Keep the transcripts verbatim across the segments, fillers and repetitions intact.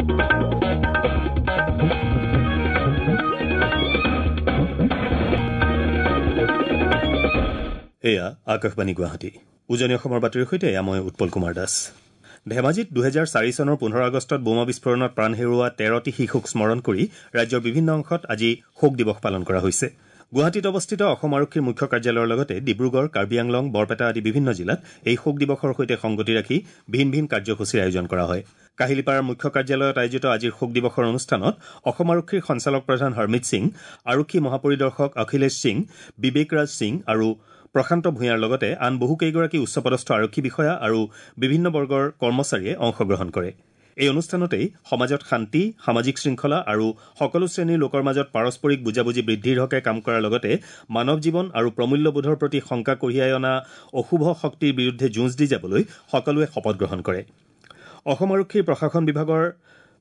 এয়া আকাশবাণী গুৱাহাটী। উজনি অসমৰ বাতৰিৰ সৈতে এয়া মই উৎপল কুমাৰ দাস। ধেমাজিত দুহেজাৰ চাৰি চনৰ পোন্ধৰ আগষ্টত বোমা বিস্ফোৰণত প্ৰাণ হেৰুওৱা তেৰটি শিশুক স্মৰণ কৰি ৰাজ্যৰ বিভিন্ন অংশত আজি শোক দিৱস পালন কৰা হৈছে। গুৱাহাটীত অৱস্থিত অসম আৰক্ষীৰ মুখ্য কাৰ্যালয়ৰ লগতে ডিব্ৰুগড়, কাৰ্বি আংলং, বৰপেটা আদি বিভিন্ন জিলাত এই শোক দিৱসৰ সৈতে সংগতি ৰাখি ভিন ভিন কাৰ্যসূচীৰ আয়োজন কৰা হয়। কাহিলীপাৰাৰ মুখ্য কাৰ্যালয়ত আয়োজিত আজিৰ শোক দিৱসৰ অনুষ্ঠানত অসম আৰক্ষীৰ সঞ্চালক প্ৰধান হৰমিত সিং, আৰক্ষী মহাপৰিদৰ্শক অখিলেশ সিং, বিবেক ৰাজ সিং আৰু প্ৰশান্ত ভূঞাৰ লগতে আন বহুকেইগৰাকী উচ্চপদস্থ আৰক্ষী বিষয়া আৰু বিভিন্ন বৰ্গৰ কৰ্মচাৰীয়ে অংশগ্ৰহণ কৰে। এই অনুষ্ঠানতেই সমাজত শান্তি, সামাজিক শৃংখলা আৰু সকলো শ্ৰেণীৰ লোকৰ মাজত পাৰস্পৰিক বুজাবুজি বৃদ্ধিৰ হকে কাম কৰাৰ লগতে মানৱ জীৱন আৰু প্ৰমূল্যবোধৰ প্ৰতি শংকা কঢ়িয়াই অনা অশুভ শক্তিৰ বিৰুদ্ধে যুঁজ দি যাবলৈ সকলোৱে শপত গ্ৰহণ কৰে। অসম আৰক্ষীৰ প্ৰশাসন বিভাগৰ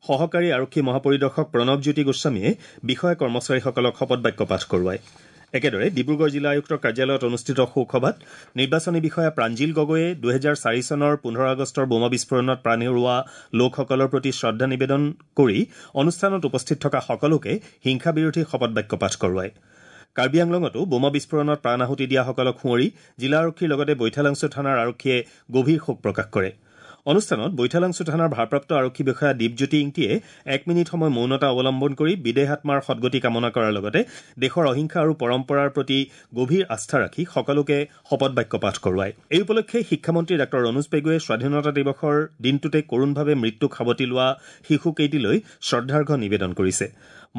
সহকাৰী আৰক্ষী মহাপৰিদৰ্শক প্ৰণৱজ্যোতি গোস্বামীয়ে বিষয়া কৰ্মচাৰীসকলক শপত বাক্য পাঠ কৰোৱায়। একেদৰে ডিব্ৰুগড় জিলা আয়ুক্তৰ কাৰ্যালয়ত অনুষ্ঠিত শোকসভাত নিৰ্বাচনী বিষয়া প্ৰাঞ্জিল গগৈয়ে দুহেজাৰ চাৰি চনৰ পোন্ধৰ আগষ্টৰ বোমা বিস্ফোৰণত প্ৰাণ হেৰুওৱা লোকসকলৰ প্ৰতি শ্ৰদ্ধা নিবেদন কৰি অনুষ্ঠানত উপস্থিত থকা সকলোকে হিংসা বিৰোধী শপত বাক্য পাঠ কৰোৱায়। কাৰ্বি আংলঙতো বোমা বিস্ফোৰণত প্ৰাণ আহুতি দিয়াসকলক সুঁৱৰি জিলা আৰক্ষীৰ লগতে বৈঠালাংছু থানাৰ আৰক্ষীয়ে গভীৰ শোক প্ৰকাশ কৰে। অনুষ্ঠানত বৈঠালাংছু থানাৰ ভাৰপ্ৰাপ্ত আৰক্ষী বিষয়া দীপজ্যোতি ইংতিয়ে এক মিনিট সময় মৌনতা অৱলম্বন কৰি বিদেহ আত্মাৰ সদগতি কামনা কৰাৰ লগতে দেশৰ অহিংসা আৰু পৰম্পৰাৰ প্ৰতি গভীৰ আস্থা ৰাখি সকলোকে শপত বাক্য পাঠ কৰোৱায়। এই উপলক্ষে শিক্ষামন্ত্ৰী ডাঃ ৰণোজ পেগুৱে স্বাধীনতা দিৱসৰ দিনটোতে কৰুণভাৱে মৃত্যুক সাৱটি লোৱা শিশুকেইটিলৈ শ্ৰদ্ধাৰ্ঘ নিবেদন কৰিছে।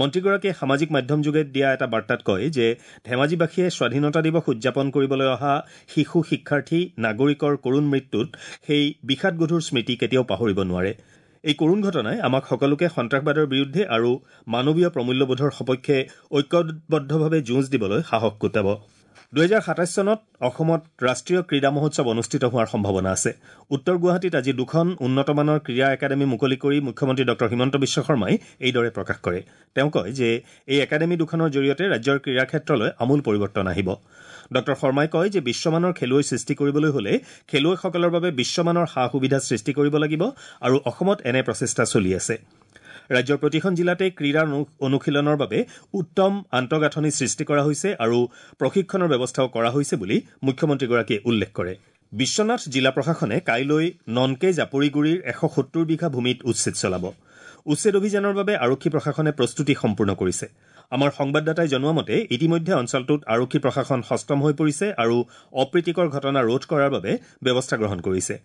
মন্ত্ৰীগৰাকীয়ে সামাজিক মাধ্যমযোগে দিয়া এটা বাৰ্তাত কয় যে ধেমাজিবাসীয়ে স্বাধীনতা দিৱস উদযাপন কৰিবলৈ অহা শিশু, শিক্ষাৰ্থী, নাগৰিকৰ কৰুণ মৃত্যুত সেই বিষাদগধুৰ স্মৃতি কেতিয়াও পাহৰিব নোৱাৰে। এই কৰুণ ঘটনাই আমাক সকলোকে সন্ত্ৰাসবাদৰ বিৰুদ্ধে আৰু মানৱীয় প্ৰমূল্যবোধৰ সপক্ষে ঐক্যবদ্ধভাৱে যুঁজ দিবলৈ সাহস গোটাব। দুহেজাৰ সাতাইছ চনত অসমত ৰাষ্ট্ৰীয় ক্ৰীড়া মহোৎসৱ অনুষ্ঠিত হোৱাৰ সম্ভাৱনা আছে। উত্তৰ গুৱাহাটীত আজি দুখন উন্নতমানৰ ক্ৰীড়া একাডেমী মুকলি কৰি মুখ্যমন্ত্ৰী ডঃ হিমন্ত বিশ্ব শৰ্মাই এইদৰে প্ৰকাশ কৰে। তেওঁ কয় যে এই একাডেমী দুখনৰ জৰিয়তে ৰাজ্যৰ ক্ৰীড়া ক্ষেত্ৰলৈ আমূল পৰিৱৰ্তন আহিব। ডঃ শৰ্মাই কয় যে বিশ্বমানৰ খেলুৱৈ সৃষ্টি কৰিবলৈ হলে খেলুৱৈসকলৰ বাবে বিশ্বমানৰ সা সুবিধা সৃষ্টি কৰিব লাগিব আৰু অসমত এনে প্ৰচেষ্টা চলি আছে। ৰাজ্যৰ প্ৰতিখন জিলাতে ক্ৰীড়া অনুশীলনৰ বাবে উত্তম আন্তঃগাঁথনি সৃষ্টি কৰা হৈছে আৰু প্ৰশিক্ষণৰ ব্যৱস্থাও কৰা হৈছে বুলি মুখ্যমন্ত্ৰীগৰাকীয়ে উল্লেখ কৰে। বিশ্বনাথ জিলা প্ৰশাসনে কাইলৈ ননকে জাপৰিগুৰিৰ এশ সত্তৰ বিঘা ভূমিত উচ্ছেদ চলাব। উচ্ছেদ অভিযানৰ বাবে আৰক্ষী প্ৰশাসনে প্ৰস্তুতি সম্পূৰ্ণ কৰিছে। আমাৰ সংবাদদাতাই জনোৱা মতে ইতিমধ্যে অঞ্চলটোত আৰক্ষী প্ৰশাসন সষ্টম হৈ পৰিছে আৰু অপ্ৰীতিকৰ ঘটনা ৰোধ কৰাৰ বাবে ব্যৱস্থা গ্ৰহণ কৰিছে।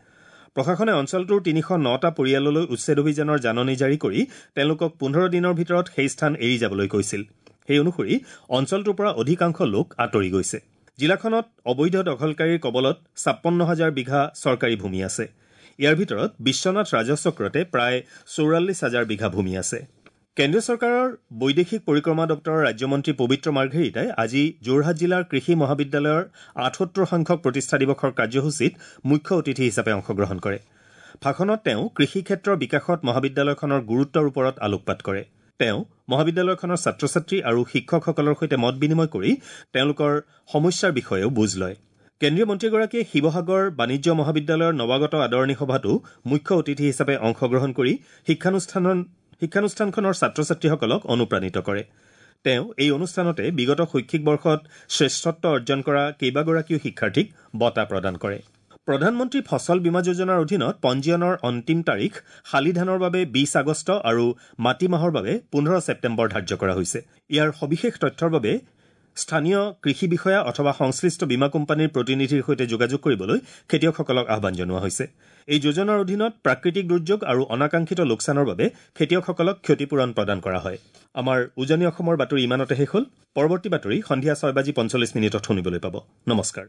প্ৰশাসনে অঞ্চলটোৰ তিনিশ নটা পৰিয়াললৈ উচ্ছেদ অভিযানৰ জাননী জাৰি কৰি তেওঁলোকক পোন্ধৰ দিনৰ ভিতৰত সেই স্থান এৰি যাবলৈ কৈছিল। সেই অনুসৰি অঞ্চলটোৰ পৰা অধিকাংশ লোক আঁতৰি গৈছে। জিলাখনত অবৈধ দখলকাৰীৰ কবলত ছাপন্ন হাজাৰ বিঘা চৰকাৰী ভূমি আছে। ইয়াৰ ভিতৰত বিশ্বনাথ ৰাজহ চক্ৰতে প্ৰায় চৌৰাল্লিছ হাজাৰ বিঘা ভূমি আছে। কেন্দ্ৰীয় চৰকাৰৰ বৈদেশিক পৰিক্ৰমা দপ্তৰৰ ৰাজ্যমন্ত্ৰী পবিত্ৰ মাৰ্ঘেৰিটাই আজি যোৰহাট জিলাৰ কৃষি মহাবিদ্যালয়ৰ আঠসত্তৰ সংখ্যক প্ৰতিষ্ঠা দিৱসৰ কাৰ্যসূচীত মুখ্য অতিথি হিচাপে অংশগ্ৰহণ কৰে। ভাষণত তেওঁ কৃষি ক্ষেত্ৰৰ বিকাশত মহাবিদ্যালয়খনৰ গুৰুত্বৰ ওপৰত আলোকপাত কৰে। তেওঁ মহাবিদ্যালয়খনৰ ছাত্ৰ ছাত্ৰী আৰু শিক্ষকসকলৰ সৈতে মত বিনিময় কৰি তেওঁলোকৰ সমস্যাৰ বিষয়েও বুজ লয়। কেন্দ্ৰীয় মন্ত্ৰীগৰাকীয়ে শিৱসাগৰ বাণিজ্য মহাবিদ্যালয়ৰ নৱাগত আদৰণি সভাতো মুখ্য অতিথি হিচাপে অংশগ্ৰহণ কৰি শিক্ষানুষ্ঠানৰ শিক্ষানুষ্ঠানখনৰ ছাত্ৰ ছাত্ৰীসকলক অনুপ্ৰাণিত কৰে। তেওঁ এই অনুষ্ঠানতে বিগত শৈক্ষিক বৰ্ষত শ্ৰেষ্ঠত্ব অৰ্জন কৰা কেইবাগৰাকীও শিক্ষাৰ্থীক বঁটা প্ৰদান কৰে। প্ৰধানমন্ত্ৰী ফচল বীমা যোজনাৰ অধীনত পঞ্জীয়নৰ অন্তিম তাৰিখ শালি ধানৰ বাবে বিশ আগষ্ট আৰু মাটিমাহৰ বাবে পোন্ধৰ ছেপ্টেম্বৰ ধাৰ্য কৰা হৈছে। ইয়াৰ সবিশেষ তথ্যৰ বাবে স্থানীয় কৃষি বিষয়া অথবা সংশ্লিষ্ট বীমা কোম্পানীৰ প্ৰতিনিধিৰ সৈতে যোগাযোগ কৰিবলৈ খেতিয়কসকলক আহ্বান জনোৱা হৈছে। এই যোজনাৰ অধীনত প্ৰাকৃতিক দুৰ্যোগ আৰু অনাকাংক্ষিত লোকচানৰ বাবে খেতিয়কসকলক ক্ষতিপূৰণ প্ৰদান কৰা হয়। আমাৰ উজনি অসমৰ বাতৰি ইমানতে শেষ হ'ল। পৰৱৰ্তী বাতৰি সন্ধিয়া ছয় বাজি পঞ্চল্লিছ মিনিটত শুনিবলৈ পাব। নমস্কাৰ।